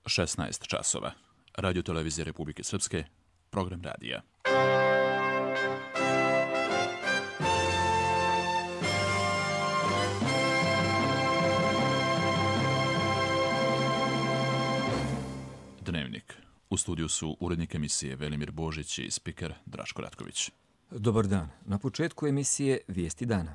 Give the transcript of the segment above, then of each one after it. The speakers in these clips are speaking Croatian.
16 časova. Radio televizije Republike Srpske, program radija. Dnevnik. U studiju su urednik emisije Velimir Božić i spiker Draško Ratković. Dobar dan. Na početku emisije Vijesti dana.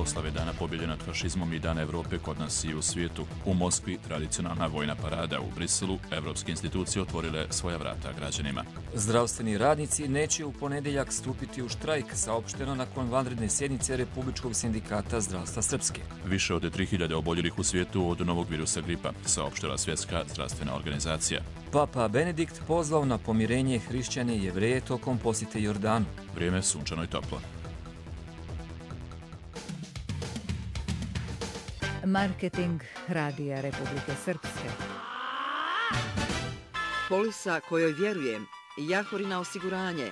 Proslave Dana pobjede nad fašizmom i Dana Evrope kod nas i u svijetu. U Moskvi tradicionalna vojna parada, u Briselu evropske institucije otvorile svoja vrata građanima. Zdravstveni radnici neće u ponedjeljak stupiti u štrajk, saopšteno nakon vanredne sjednice Republičkog sindikata zdravstva Srpske. Više od 3000 oboljelih u svijetu od novog virusa gripa, saopštila Svjetska zdravstvena organizacija. Papa Benedikt pozvao na pomirenje hrišćane i Jevreje tokom posjete Jordanu. Vrijeme sunčano i toplo. Marketing Radija Republike Srpske. Polisa kojoj vjerujem, Jahorina osiguranje,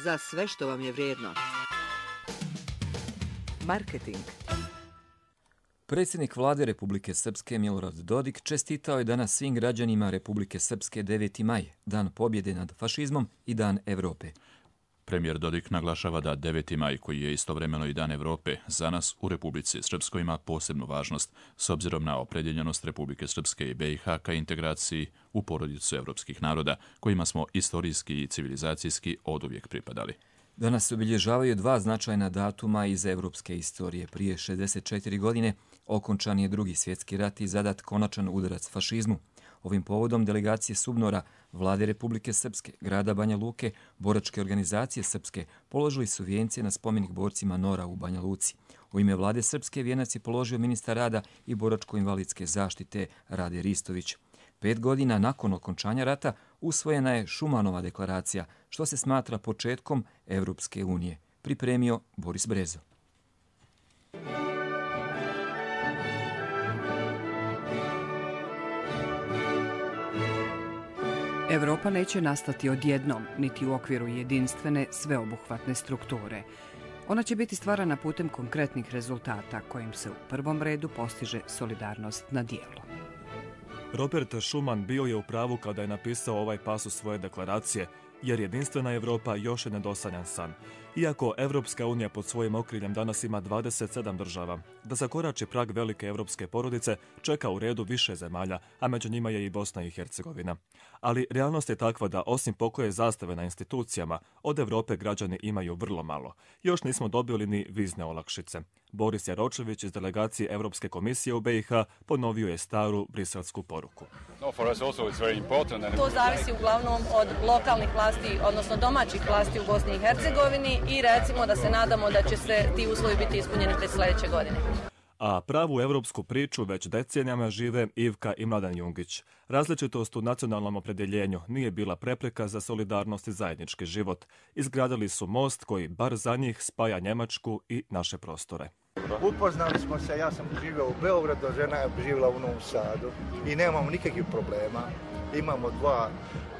za sve što vam je vrijedno. Marketing. Predsjednik vlade Republike Srpske Milorad Dodik čestitao je danas svim građanima Republike Srpske 9. maj, dan pobjede nad fašizmom i dan Evrope. Premijer Dodik naglašava da 9. maj, koji je istovremeno i Dan Evrope, za nas u Republici Srpskoj ima posebnu važnost s obzirom na opredjeljenost Republike Srpske i BiH ka integraciji u porodicu evropskih naroda, kojima smo istorijski i civilizacijski oduvijek pripadali. Danas se obilježavaju dva značajna datuma iz evropske istorije. Prije 64 godine okončan je Drugi svjetski rat i zadat konačan udarac fašizmu. Ovim povodom delegacije SUBNOR-a, Vlade Republike Srpske, grada Banja Luke, boračke organizacije Srpske položili su vijencije na spomenik borcima NOR-a u Banja Luci. U ime Vlade Srpske vijenac je položio ministar rada i boračko-invalidske zaštite Rade Ristović. 5 godina nakon okončanja rata usvojena je Šumanova deklaracija, što se smatra početkom Evropske unije. Pripremio Boris Brezo. Evropa neće nastati odjednom, niti u okviru jedinstvene, sveobuhvatne strukture. Ona će biti stvarana putem konkretnih rezultata, kojim se u prvom redu postiže solidarnost na dijelu. Robert Schuman bio je u pravu kada je napisao ovaj pasus svoje deklaracije, jer jedinstvena Evropa još je nedosanjan san. Iako Evropska unija pod svojim okriljem danas ima 27 država, da zakorači prag velike evropske porodice čeka u redu više zemalja, a među njima je i Bosna i Hercegovina. Ali realnost je takva da osim pokoje zastave na institucijama, od Evrope građani imaju vrlo malo. Još nismo dobili ni vizne olakšice. Boris Jaročević iz delegacije Evropske komisije u BiH ponovio je staru briselsku poruku. To zavisi uglavnom od lokalnih vlasti, odnosno domaćih vlasti u Bosni i Hercegovini i recimo da se nadamo da će se ti uslovi biti ispunjeni već sljedeće godine. A pravu evropsku priču već decenijama žive Ivka i Mladen Jungić. Različitost u nacionalnom opredjeljenju nije bila prepreka za solidarnost i zajednički život. Izgradili su most koji bar za njih spaja Njemačku i naše prostore. Upoznali smo se, ja sam živio u Beogradu, žena je živjela u Novom Sadu i nemamo nikakvih problema. Imamo 2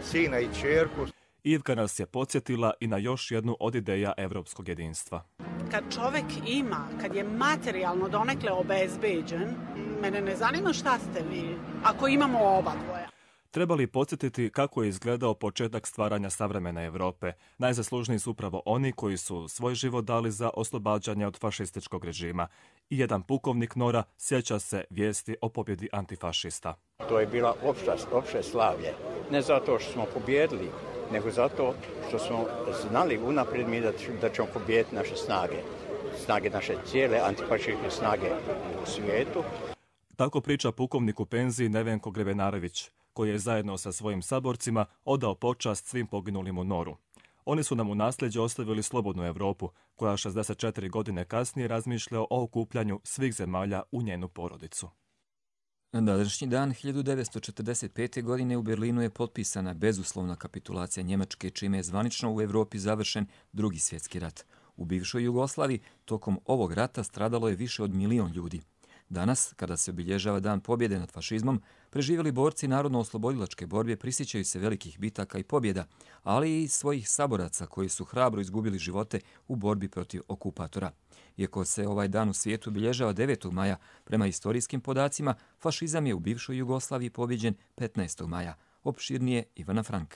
sina i ćerku. Ivka nas je podsjetila i na još jednu od ideja evropskog jedinstva. Kad čovjek ima, kad je materijalno donekle obezbeđen, mene ne zanima šta ste vi, ako imamo oba dvoja. Treba li podsjetiti kako je izgledao početak stvaranja savremene Evrope? Najzaslužniji su upravo oni koji su svoj život dali za oslobađanje od fašističkog režima. I jedan pukovnik NOR-a sjeća se vijesti o pobjedi antifašista. To je bila opšte slavlje. Ne zato što smo pobjedili, nego zato što smo znali unaprijed mi da ćemo pobijediti naše snage naše cijele antifašističke snage u svijetu. Tako priča pukovnik u penziji Nevenko Grebenarević, koji je zajedno sa svojim saborcima odao počast svim poginulim u NOR-u. Oni su nam u nasljeđe ostavili slobodnu Europu, koja 64 godine kasnije razmišlja o okupljanju svih zemalja u njenu porodicu. Na današnji dan 1945. godine u Berlinu je potpisana bezuslovna kapitulacija Njemačke, čime je zvanično u Evropi završen Drugi svjetski rat. U bivšoj Jugoslaviji tokom ovog rata stradalo je više od 1 milion ljudi. Danas, kada se obilježava Dan pobjede nad fašizmom, preživjeli borci narodno-oslobodilačke borbe prisjećaju se velikih bitaka i pobjeda, ali i svojih saboraca koji su hrabro izgubili živote u borbi protiv okupatora. Iako se ovaj dan u svijetu obilježava 9. maja, prema historijskim podacima, fašizam je u bivšoj Jugoslaviji pobjeđen 15. maja. Opširnije Ivana Frank.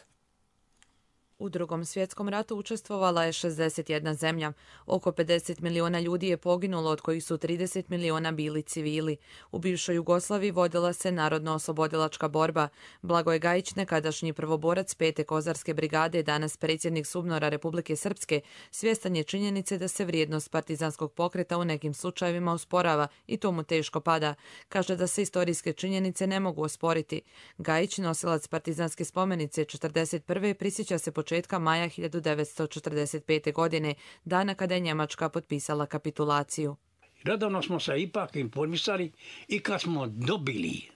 U Drugom svjetskom ratu učestvovala je 61 zemlja. Oko 50 miliona ljudi je poginulo, od kojih su 30 miliona bili civili. U bivšoj Jugoslaviji vodila se narodno-oslobodilačka borba. Blagoje Gajić, nekadašnji prvoborac 5. kozarske brigade, danas predsjednik SUBNOR-a Republike Srpske, svjestan je činjenice da se vrijednost partizanskog pokreta u nekim slučajevima usporava i to mu teško pada. Kaže da se istorijske činjenice ne mogu osporiti. Gajić, nosilac partizanske spomenice 41. prisjeća se početka maja 1945. godine, dana kada je Njemačka potpisala kapitulaciju. Redovno smo se ipak informisali i kad smo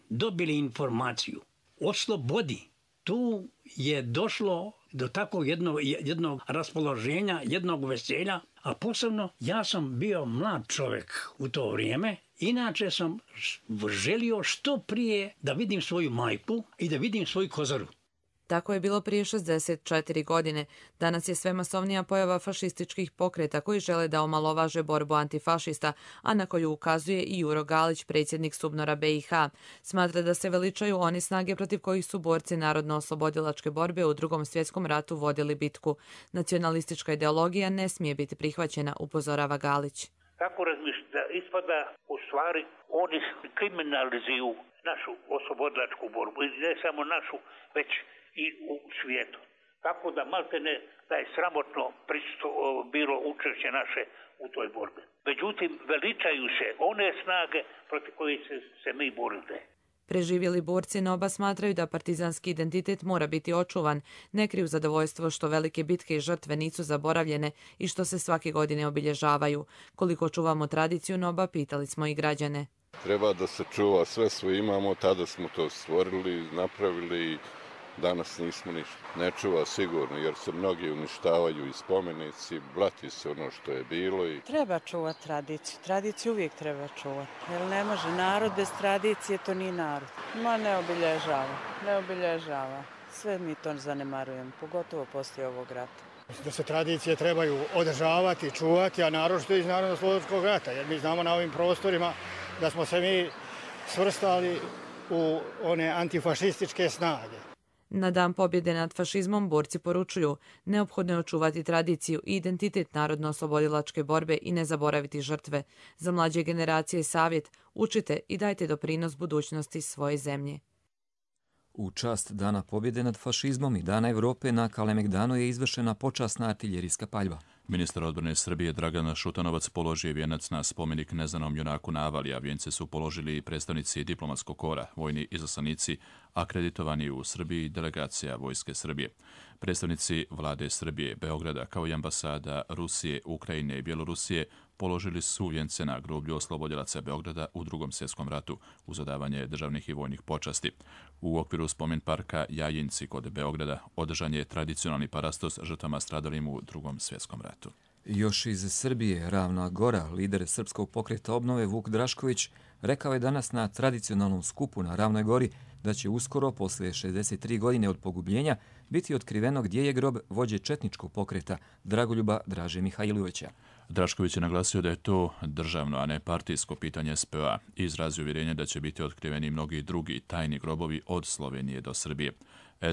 dobili informaciju o slobodi, tu je došlo do takvog jednog raspoloženja, jednog veselja, a posebno ja sam bio mlad čovjek u to vrijeme. Inače sam želio što prije da vidim svoju majku i da vidim svoju kozaru. Tako je bilo prije 64 godine. Danas je sve masovnija pojava fašističkih pokreta koji žele da omalovaže borbu antifašista, a na koju ukazuje i Juro Galić, predsjednik SUBNOR-a BiH. Smatra da se veličaju oni snage protiv kojih su borci narodno-oslobodilačke borbe u Drugom svjetskom ratu vodili bitku. Nacionalistička ideologija ne smije biti prihvaćena, upozorava Galić. Kako razmišljate? Ispada u stvari oni kriminalizuju našu oslobodilačku borbu. I ne samo našu, već i u svijetu. Tako da maltene da je sramotno bilo učešće naše u toj borbi. Međutim, veličaju se one snage protiv kojih se mi borite. Preživjeli borci NOB-a smatraju da partizanski identitet mora biti očuvan, ne kriju zadovoljstvo što velike bitke i žrtve nisu zaboravljene i što se svake godine obilježavaju. Koliko čuvamo tradiciju NOB-a, pitali smo i građane. Treba da se čuva sve što imamo, tada smo to stvorili, napravili. Danas nismo ništa. Ne čuva sigurno, jer se mnogi uništavaju i spomenici, blati se ono što je bilo. Treba čuvati tradiciju. Tradiciju uvijek treba čuvati. Jer ne može narod bez tradicije, to nije narod. Ma ne obilježava. Sve mi to zanemarujemo, pogotovo poslije ovog rata. Da se tradicije trebaju održavati, čuvati, a naročito iz Narodno-oslobodilačkog rata, jer mi znamo na ovim prostorima da smo se mi svrstali u one antifašističke snage. Na Dan pobjede nad fašizmom borci poručuju: neophodno je očuvati tradiciju i identitet narodno-oslobodilačke borbe i ne zaboraviti žrtve. Za mlađe generacije savjet: učite i dajte doprinos budućnosti svoje zemlje. U čast Dana pobjede nad fašizmom i Dana Evrope na Kalemegdanu je izvršena počasna artiljerijska paljba. Ministar odbrane Srbije Dragan Šutanovac položio je vijenac na spomenik neznanom junaku na Avali, a vijence su položili i predstavnici diplomatskog kora, vojni izaslanici, akreditovani u Srbiji i delegacija Vojske Srbije. Predstavnici vlade Srbije, Beograda, kao i ambasada Rusije, Ukrajine i Bjelorusije položili su vijence na groblju oslobodilaca Beograda u Drugom svjetskom ratu uz odavanje državnih i vojnih počasti. U okviru spomen parka Jajinci kod Beograda održan je tradicionalni parastos žrtvama stradalim u Drugom svjetskom ratu. Još iz Srbije, Ravna Gora, lider Srpskog pokreta obnove Vuk Drašković, rekao je danas na tradicionalnom skupu na Ravnoj Gori da će uskoro, posle 63 godine od pogubljenja, biti otkriveno gdje je grob vođe četničkog pokreta Dragoljuba Draže Mihajlovića. Drašković je naglasio da je to državno, a ne partijsko pitanje SPO-a i izrazio uvjerenje da će biti otkriveni mnogi drugi tajni grobovi od Slovenije do Srbije.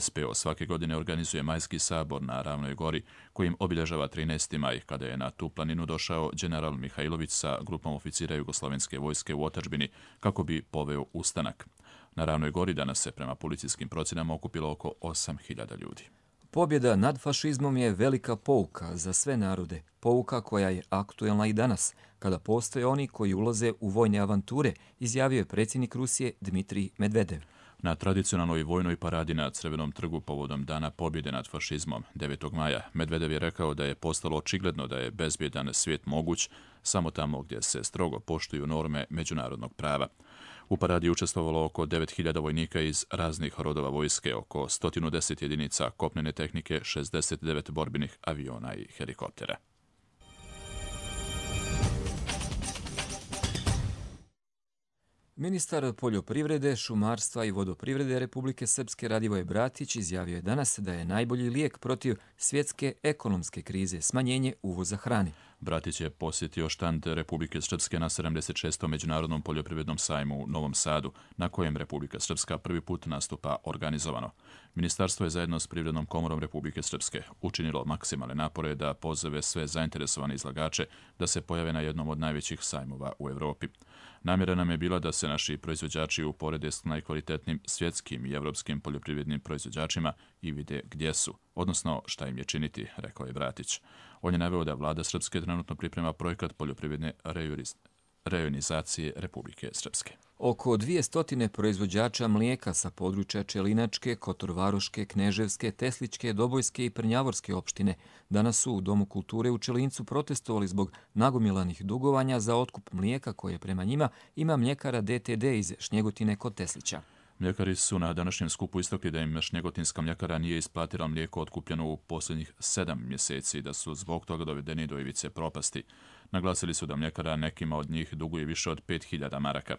SPO svake godine organizuje majski sabor na Ravnoj Gori, kojim obilježava 13. maj, kada je na tu planinu došao general Mihajlović sa grupom oficira Jugoslovenske vojske u otadžbini kako bi poveo ustanak. Na Ravnoj Gori danas se prema policijskim procjenama okupilo oko 8.000 ljudi. Pobjeda nad fašizmom je velika pouka za sve narode, pouka koja je aktuelna i danas, kada postoje oni koji ulaze u vojne avanture, izjavio je predsjednik Rusije Dmitrij Medvedev. Na tradicionalnoj vojnoj paradi na Crvenom trgu povodom Dana pobjede nad fašizmom 9. maja Medvedev je rekao da je postalo očigledno da je bezbjedan svijet moguć samo tamo gdje se strogo poštuju norme međunarodnog prava. U paradi je učestvovalo oko 9.000 vojnika iz raznih rodova vojske, oko 110 jedinica kopnene tehnike, 69 borbenih aviona i helikoptera. Ministar poljoprivrede, šumarstva i vodoprivrede Republike Srpske Radivoje Bratić izjavio je danas da je najbolji lijek protiv svjetske ekonomske krize smanjenje uvoza hrane. Bratić je posjetio štand Republike Srpske na 76. Međunarodnom poljoprivrednom sajmu u Novom Sadu, na kojem Republika Srpska prvi put nastupa organizovano. Ministarstvo je zajedno s Privrednom komorom Republike Srpske učinilo maksimalne napore da pozove sve zainteresovane izlagače da se pojave na jednom od najvećih sajmova u Evropi. Namjera nam je bila da se naši proizvođači uporede s najkvalitetnim svjetskim i evropskim poljoprivrednim proizvođačima i vide gdje su, odnosno šta im je činiti, rekao je Bratić. On je naveo da vlada Srpske trenutno priprema projekat poljoprivredne rejonizacije Republike Srpske. Oko 200 proizvođača mlijeka sa područja Čelinačke, Kotorvaroške, Kneževske, Tesličke, Dobojske i Prnjavorske opštine danas su u Domu kulture u Čelincu protestovali zbog nagomilanih dugovanja za otkup mlijeka koje prema njima ima mljekara DTD iz Šnjegotine kod Teslića. Mljekari su na današnjem skupu istakli da im Šnjegotinska mljekara nije isplatila mlijeko otkupljeno u posljednjih 7 mjeseci i da su zbog toga dovedeni do ivice propasti. Naglasili su da mljekara nekima od njih duguje više od 5000 maraka.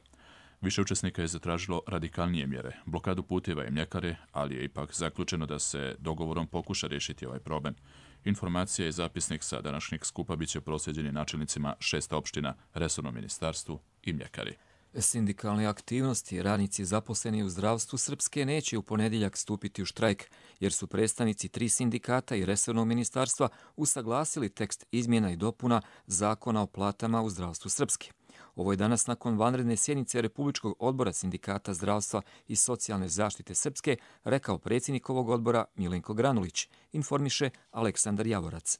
Više učesnika je zatražilo radikalnije mjere, blokadu puteva i mljekare, ali je ipak zaključeno da se dogovorom pokuša riješiti ovaj problem. Informacija i zapisnik sa današnjeg skupa biće proslijeđeni načelnicima 6 opština, resornom ministarstvu i mljekari. Sindikalne aktivnosti radnici zaposleni u zdravstvu Srpske neće u ponedjeljak stupiti u štrajk, jer su predstavnici 3 sindikata i resornog ministarstva usaglasili tekst izmjena i dopuna Zakona o platama u zdravstvu Srpske. Ovo je danas nakon vanredne sjednice Republičkog odbora Sindikata zdravstva i socijalne zaštite Srpske rekao predsjednik ovog odbora Milenko Granulić, informiše Aleksandar Javorac.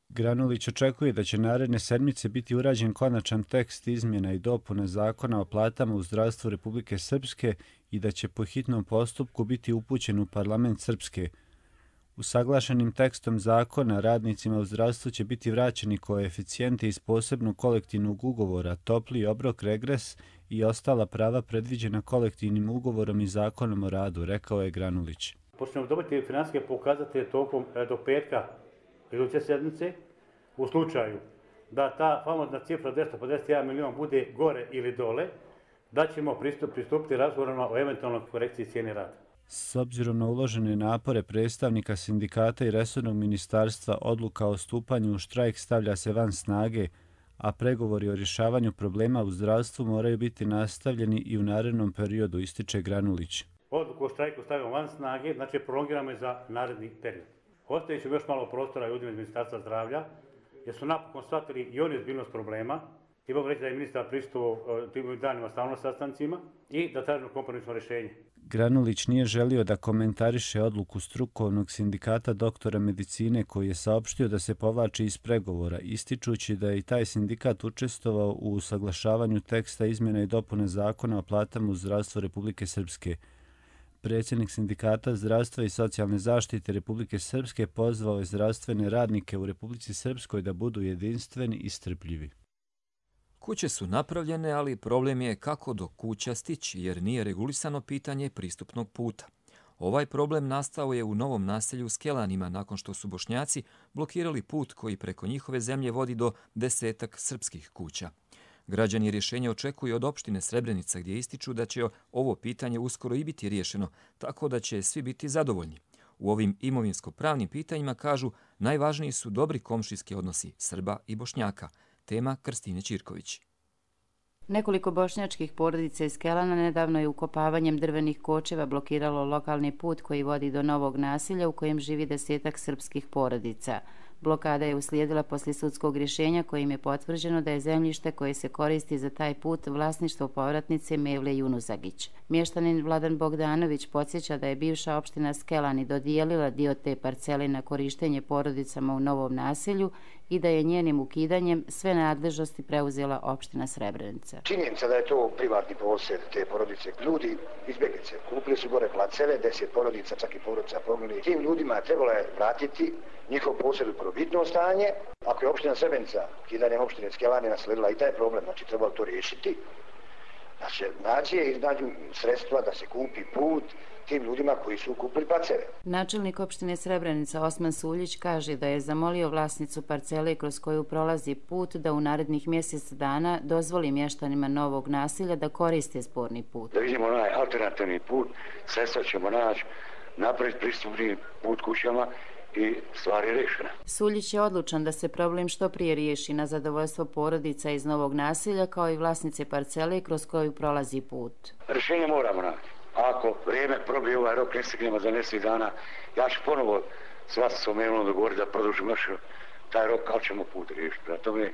Granulić očekuje da će naredne sedmice biti urađen konačan tekst izmjena i dopune Zakona o platama u zdravstvu Republike Srpske i da će po hitnom postupku biti upućen u parlament Srpske. Usaglašenim tekstom zakona radnicima u zdravstvu će biti vraćeni koeficijenti iz posebnog kolektivnog ugovora, topli obrok, regres i ostala prava predviđena kolektivnim ugovorom i zakonom o radu, rekao je Granulić. Počnemo dobiti financijske pokazatelje tokom do petka iduće sedmice. U slučaju da ta famozna cifra 251 milion bude gore ili dole, da ćemo pristupiti razgovorima o eventualnoj korekciji cijene rada. S obzirom na uložene napore predstavnika sindikata i resornog ministarstva, odluka o stupanju u štrajk stavlja se van snage, a pregovori o rješavanju problema u zdravstvu moraju biti nastavljeni i u narednom periodu, ističe Granulić. Odluku o štrajku stavimo van snage, znači prolongiramo je za naredni period. Ostaje će još malo prostora ljudima iz Ministarstva zdravlja, jer su napokon shvatili i oni ozbiljnost problema. I mogu reći da je ministar pristupio tim danima stalno sastancima i da tražimo kompromisno rješenje. Granulić nije želio da komentariše odluku strukovnog sindikata doktora medicine koji je saopštio da se povlači iz pregovora, ističući da je i taj sindikat učestvovao u usaglašavanju teksta izmjena i dopune Zakona o platama u zdravstvu Republike Srpske. Predsjednik Sindikata zdravstva i socijalne zaštite Republike Srpske pozvao je zdravstvene radnike u Republici Srpskoj da budu jedinstveni i strpljivi. Kuće su napravljene, ali problem je kako do kuća stići, jer nije regulisano pitanje pristupnog puta. Ovaj problem nastao je u novom naselju Skelanima nakon što su Bošnjaci blokirali put koji preko njihove zemlje vodi do 10 srpskih kuća. Građani rješenje očekuju od opštine Srebrenica gdje ističu da će ovo pitanje uskoro i biti riješeno, tako da će svi biti zadovoljni. U ovim imovinsko-pravnim pitanjima, kažu, najvažniji su dobri komšijski odnosi Srba i Bošnjaka. Tema Krstine Ćirković. Nekoliko bošnjačkih porodica iz Kelana nedavno je ukopavanjem drvenih kočeva blokiralo lokalni put koji vodi do novog naselja u kojem živi 10 srpskih porodica. Blokada je uslijedila poslije sudskog rješenja kojim je potvrđeno da je zemljište koje se koristi za taj put vlasništvo povratnice Mevle Junuzagić. Mještanin Vladan Bogdanović podsjeća da je bivša opština Skelani dodijelila dio te parcele na korištenje porodicama u novom naselju i da je njenim ukidanjem sve nadležnosti preuzela opština Srebrenica. Činjenica da je to privatni posjed te porodice. Ljudi, izbjeglice, kupili su gore placeve, 10 porodica, čak i porodica poginuli. Tim ljudima trebalo je vratiti njihov posjed u prvobitno stanje. Ako je opština Srebrenica, ukidanjem opštine Skelani nasledila i taj problem, znači trebalo to riješiti. Da se iznađu sredstva, da se kupi put tim ljudima koji su kupili parcele. Načelnik opštine Srebrenica Osman Suljić kaže da je zamolio vlasnicu parcele kroz koju prolazi put da u narednih mjesec dana dozvoli mještanima novog naselja da koriste sporni put. Da vidimo onaj alternativni put, sredstva ćemo naći, napraviti pristupni put kućama i stvar je rešena. Suljić je odlučan da se problem što prije riješi na zadovoljstvo porodica iz novog naselja kao i vlasnice parcele kroz koju prolazi put. Rješenje moramo naći. Ako vrijeme probije ovaj rok, ne stignemo za mjesec dana, ja ću ponovo s vlasnicom Evlom dogovoriti da produžimo još taj rok, ali ćemo put riješiti. Tome,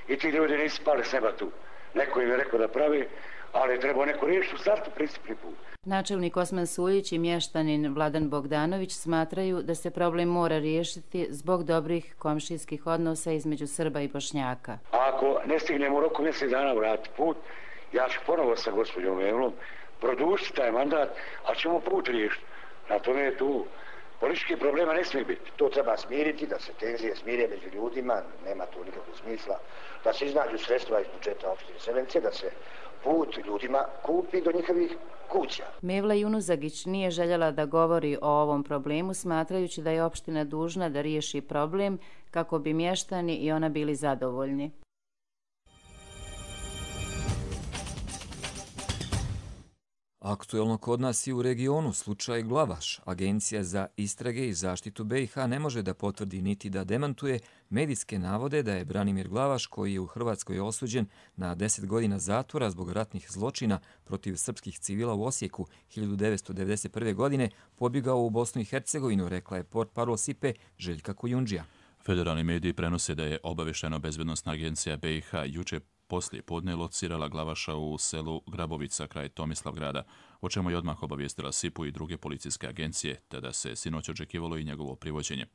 i ti ljudi nisu pali s neba tu. Neko im je rekao da pravi, ali je trebao neko riješiti u startu pristupni put. Načelnik Osman Suljić i mještanin Vladan Bogdanović smatraju da se problem mora riješiti zbog dobrih komšijskih odnosa između Srba i Bošnjaka. Ako ne stignemo u roku mjesec dana vratiti put, ja ću ponovo sa gospođom Evlom produžiti taj mandat, a ćemo put riješiti. Na tome je tu političkih problema ne smije biti. To treba smiriti, da se tenzije smire među ljudima, nema tu nikakvog smisla, da se iznađu sredstva iz budžeta opštine Srebrenice, da se put ljudima kupi do njihovih kuća. Mevla Junuzagić nije željela da govori o ovom problemu, smatrajući da je opština dužna da riješi problem kako bi mještani i ona bili zadovoljni. Aktuelno kod nas i u regionu slučaj Glavaš. Agencija za istrage i zaštitu BiH ne može da potvrdi niti da demantuje medijske navode da je Branimir Glavaš, koji je u Hrvatskoj osuđen na 10 godina zatvora zbog ratnih zločina protiv srpskih civila u Osijeku 1991. godine, pobjegao u Bosnu i Hercegovinu, rekla je portparol SIPE Željka Kujundžija. Federalni mediji prenose da je obavještajno-bezbednosna agencija BiH juče poslije podne locirala Glavaša u selu Grabovica kraj Tomislavgrada, o čemu je odmah obavijestila SIP-u i druge policijske agencije, te da se sinoć očekivalo i njegovo privođenje.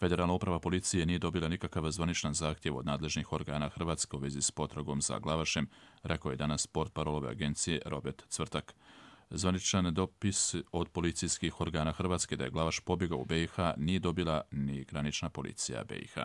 Federalna uprava policije nije dobila nikakav zvaničan zahtjev od nadležnih organa Hrvatske u vezi s potragom za Glavašem, rekao je danas portparolove agencije Robert Cvrtak. Zvaničan dopis od policijskih organa Hrvatske da je Glavaš pobjegao u BiH nije dobila ni granična policija BiH.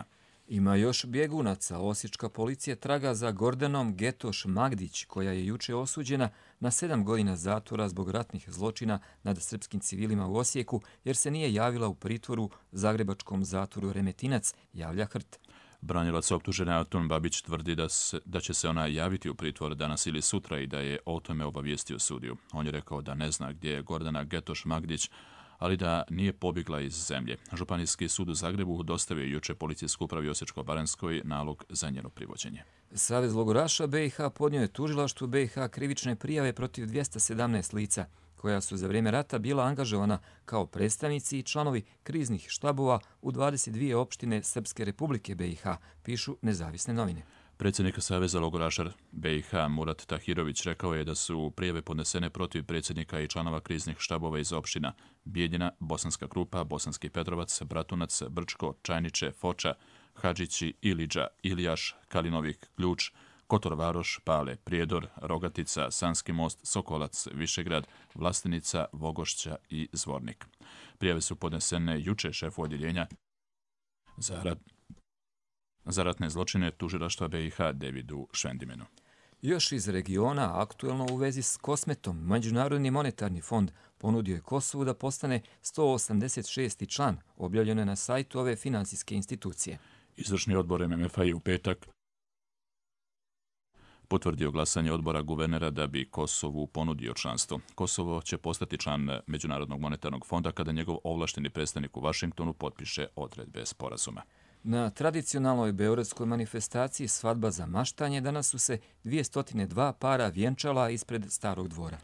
Ima još bjegunaca. Osječka policija traga za Gordanom Getoš Magdić, koja je juče osuđena na 7 godina zatvora zbog ratnih zločina nad srpskim civilima u Osijeku, jer se nije javila u pritvoru zagrebačkom zatvoru Remetinac, javlja HRT. Branilac optužene Antun Babić tvrdi da će se ona javiti u pritvor danas ili sutra i da je o tome obavijestio sudiju. On je rekao da ne zna gdje je Gordana Getoš Magdić, ali da nije pobjegla iz zemlje. Županijski sud u Zagrebu dostavio juče policijskoj upravi Osječko-baranjskoj nalog za njeno privođenje. Savez logoraša BiH podnio je tužilaštvu BiH krivične prijave protiv 217 lica, koja su za vrijeme rata bila angažovana kao predstavnici i članovi kriznih štabova u 22 opštine Srpske republike BiH, pišu nezavisne novine. Predsjednik Saveza logoraša BiH Murat Tahirović rekao je da su prijave podnesene protiv predsjednika i članova kriznih štabova iz opština Bijeljina, Bosanska Krupa, Bosanski Petrovac, Bratunac, Brčko, Čajniče, Foča, Hadžići, Iliđa, Ilijaš, Kalinovik, Ključ, Kotor Varoš, Pale, Prijedor, Rogatica, Sanski most, Sokolac, Višegrad, Vlastenica, Vogošća i Zvornik. Prijave su podnesene juče šefu odjeljenja za ratne zločine tužilaštva BiH Davidu Švendimenu. Još iz regiona, aktuelno u vezi s Kosmetom, Međunarodni monetarni fond ponudio je Kosovu da postane 186. član, objavljeno je na sajtu ove finansijske institucije. Izvršni odbor MMF-a je u petak potvrdio glasanje odbora guvernera da bi Kosovu ponudio članstvo. Kosovo će postati član Međunarodnog monetarnog fonda kada njegov ovlašteni predstavnik u Vašingtonu potpiše odredbe sporazuma. Na tradicionalnoj beogradskoj manifestaciji Svadba za maštanje danas su se 202 para vjenčala ispred Starog dvora.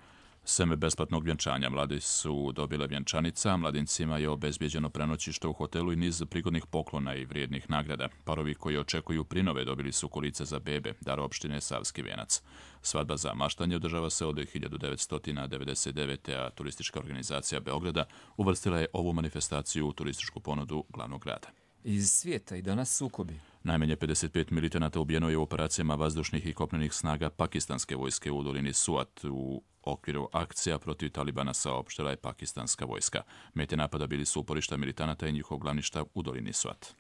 Seme besplatnog vjenčanja mladi su dobile vjenčanica, mladincima je obezbijeđeno prenoćište u hotelu i niz prigodnih poklona i vrijednih nagrada. Parovi koji očekuju prinove dobili su kolice za bebe, dar opštine Savski Venac. Svadba za maštanje održava se od 1999. a turistička organizacija Beograda uvrstila je ovu manifestaciju u turističku ponudu glavnog grada. Iz svijeta i danas sukobi. Najmanje 55 militanata ubijeno je u operacijama vazdušnih i kopnenih snaga pakistanske vojske u dolini Suat u okviru akcija protiv Talibana, saopštila je pakistanska vojska. Mete napada bili su uporišta militanata i njihov glavni štab u dolini Suat.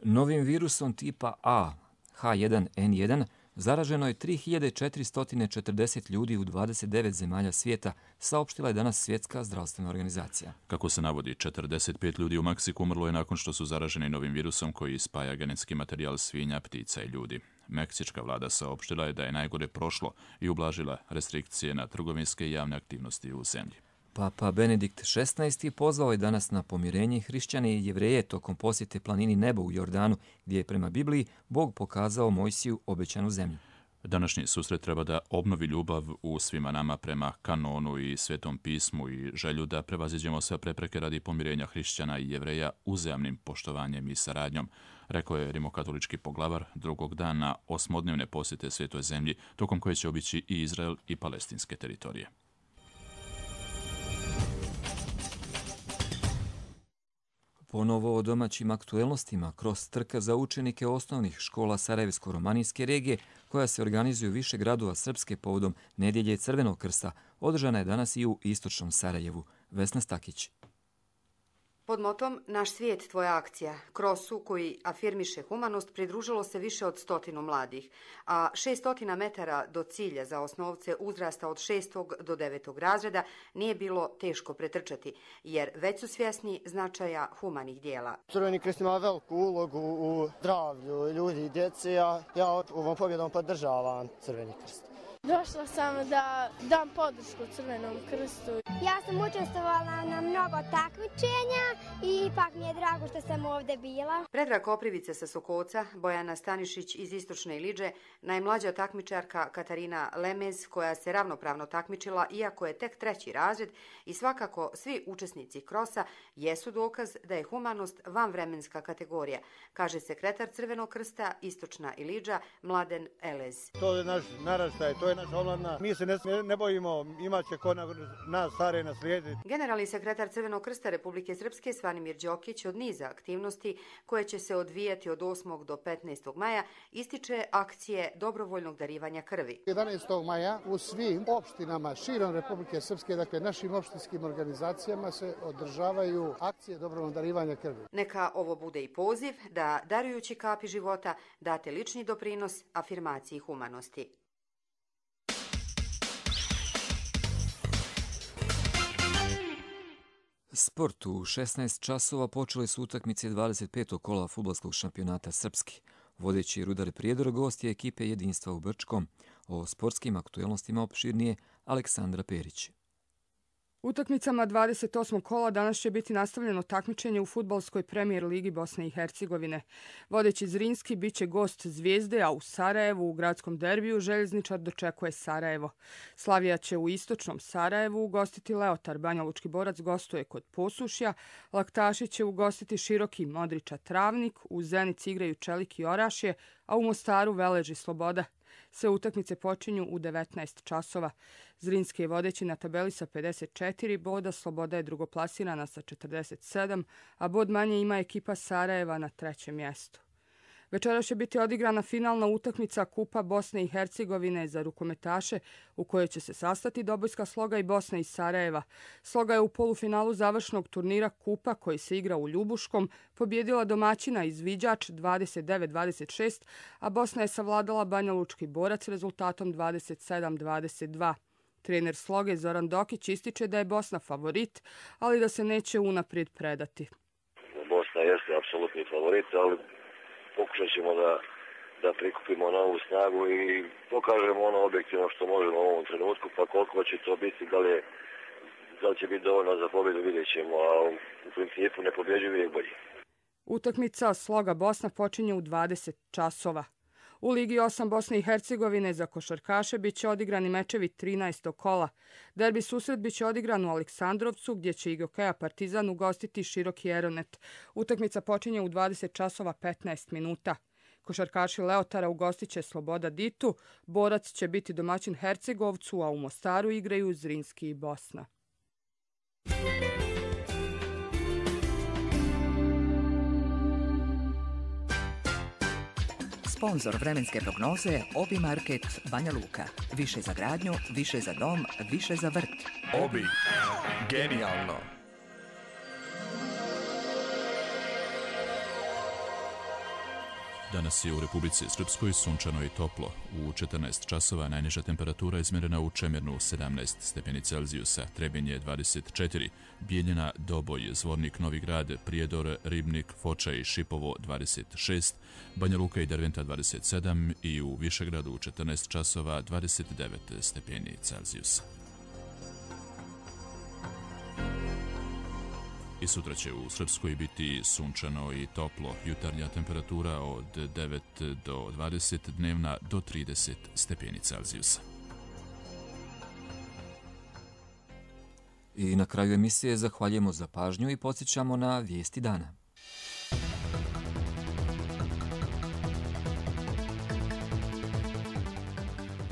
Novim virusom tipa A, H1N1, Zaraženo je 3440 ljudi u 29 zemalja svijeta, saopštila je danas Svjetska zdravstvena organizacija. Kako se navodi, 45 ljudi u Meksiku umrlo je nakon što su zaraženi novim virusom koji spaja genetski materijal svinja, ptica i ljudi. Meksička vlada saopštila je da je najgore prošlo i ublažila restrikcije na trgovinske i javne aktivnosti u zemlji. Papa Benedikt XVI pozvao je danas na pomirenje hrišćane i Jevreje tokom posjete planini Nebo u Jordanu, gdje je prema Bibliji Bog pokazao Mojsiju obećanu zemlju. Današnji susret treba da obnovi ljubav u svima nama prema kanonu i Svetom pismu i želju da prevaziđemo sve prepreke radi pomirenja hrišćana i Jevreja uzajamnim poštovanjem i saradnjom, rekao je rimokatolički poglavar drugog dana 8-dnevne posjete Svetoj zemlji, tokom koje će obići i Izrael i palestinske teritorije. Ponovo o domaćim aktuelnostima kroz trka za učenike osnovnih škola Sarajevsko-romanijske regije, koja se organizuju više gradova Srpske povodom Nedjelje Crvenog krsta, održana je danas i u istočnom Sarajevu. Vesna Stakić. Pod motom Naš svijet, tvoja akcija, krosu koji afirmiše humanost, pridružilo se više od 100 mladih, a 600 metara do cilja za osnovce uzrasta od 6. do 9. razreda nije bilo teško pretrčati, jer već su svjesni značaja humanih dijela. Crveni krst ima veliku ulogu u zdravlju ljudi i djece, a ja ovom pobjedom podržavam Crveni krst. Došla sam da dam podršku Crvenom krstu. Ja sam učestvovala na mnogo takmičenja i ipak mi je drago što sam ovdje bila. Predrag Koprivice sa Sokoca, Bojana Stanišić iz Istočne Iliđe, najmlađa takmičarka Katarina Lemez, koja se ravnopravno takmičila iako je tek 3. razred, i svakako svi učesnici krosa jesu dokaz da je humanost vanvremenska kategorija, kaže sekretar Crvenog krsta Istočna Iliđa Mladen Elez. To je naš naraštaj, to je naša omladina. Mi se ne bojimo, imat će ko nas stare naslijediti. Generalni sekretar Crvenog krsta Republike Srpske Svanimir Đokić od niza aktivnosti koje će se odvijati od 8. do 15. maja ističe akcije dobrovoljnog darivanja krvi. 11. maja u svim opštinama širom Republike Srpske, dakle našim opštinskim organizacijama, se održavaju akcije dobrovoljnog darivanja krvi. Neka ovo bude i poziv da, darujući kapi života, date lični doprinos afirmaciji humanosti. Sport. U 16 časova počele su utakmice 25. kola fudbalskog šampionata Srpski. Vodeći Rudar Prijedor gost je ekipe Jedinstva u Brčkom. O sportskim aktuelnostima opširnije Aleksandra Perić. Utakmicama 28. kola danas će biti nastavljeno takmičenje u fudbalskoj premijer ligi Bosne i Hercegovine. Vodeći Zrinski bit će gost Zvijezde, a u Sarajevu u gradskom derbiju Željezničar dočekuje Sarajevo. Slavija će u istočnom Sarajevu ugostiti Leotar, Banjalučki Borac gostuje kod Posušja, Laktaši će ugostiti Široki, Modriča Travnik, u Zenici igraju Čelik i Orašje, a u Mostaru Velež i Sloboda. Sve utakmice počinju u 19 časova. Zrinski je vodeći na tabeli sa 54 boda, Sloboda je drugoplasirana sa 47, a bod manje ima ekipa Sarajeva na 3. mjestu. Večeras će biti odigrana finalna utakmica Kupa Bosne i Hercegovine za rukometaše, u kojoj će se sastati Dobojska Sloga i Bosna iz Sarajeva. Sloga je u polufinalu završnog turnira Kupa, koji se igra u Ljubuškom, pobjedila domaćina Izviđač 29-26, a Bosna je savladala Banjalučki Borac rezultatom 27-22. Trener Sloge Zoran Dokić ističe da je Bosna favorit, ali da se neće unaprijed predati. Bosna jeste apsolutni favorit, ali pokušat ćemo da prikupimo novu snagu i pokažemo ono objektivno što možemo u ovom trenutku, pa koliko će to biti, da li će biti dovoljno za pobjedu, vidjet ćemo, a u principu ne pobjeđuju uvijek bolji. Utakmica Sloga Bosna počinje u 20 časova. U Ligi 8 Bosne i Hercegovine za košarkaše bit će odigrani mečevi 13. kola. Derbi susret bit će odigran u Aleksandrovcu, gdje će IGOKEA Partizan ugostiti Široki Eronet. Utakmica počinje u 20 časova 15 minuta. Košarkaši Leotara ugostit će Sloboda Ditu, Borac će biti domaćin Hercegovcu, a u Mostaru igraju Zrinski i Bosna. Sponzor vremenske prognoze Obi Market Banja Luka. Više za gradnju, više za dom, više za vrt. Obi. Genijalno. Danas je u Republici Srpskoj sunčano i toplo. U 14 časova najniža temperatura izmjerena u Čemirnu 17 stepeni Celzijusa, Trebinje 24, Bijeljina, Doboj, Zvornik, Novi Grad, Prijedor, Ribnik, Foča i Šipovo 26, Banja Luka i Derventa 27 i u Višegradu u 14 časova 29 stepeni Celzijusa. I sutra će u Srpskoj biti sunčano i toplo. Jutarnja temperatura od 9 do 20, dnevna do 30 stepeni Celzijusa. I na kraju emisije zahvaljujemo za pažnju i podsjećamo na vijesti dana.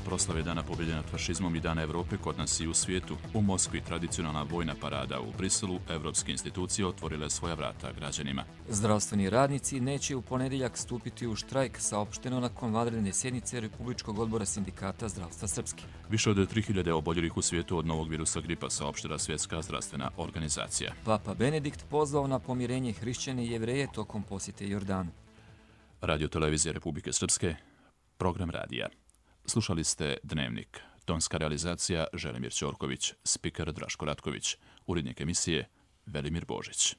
Proslave Dana pobjede nad fašizmom i Dana Evrope kod nas i u svijetu. U Moskvi tradicionalna vojna parada, u Briselu evropske institucije otvorile svoja vrata građanima. Zdravstveni radnici neće u ponedjeljak stupiti u štrajk, saopšteno nakon vanredne sjednice Republičkog odbora sindikata zdravstva Srpske. Više od 3000 oboljelih u svijetu od novog virusa gripa, saopštila Svjetska zdravstvena organizacija. Papa Benedikt pozvao na pomirenje hrišćane i jevreje tokom posjete Jordanu. Radio televizije Republike Srpske, program radija. Slušali ste Dnevnik. Tonska realizacija Želimir Ćorković, spiker Draško Ratković, urednik emisije Velimir Božić.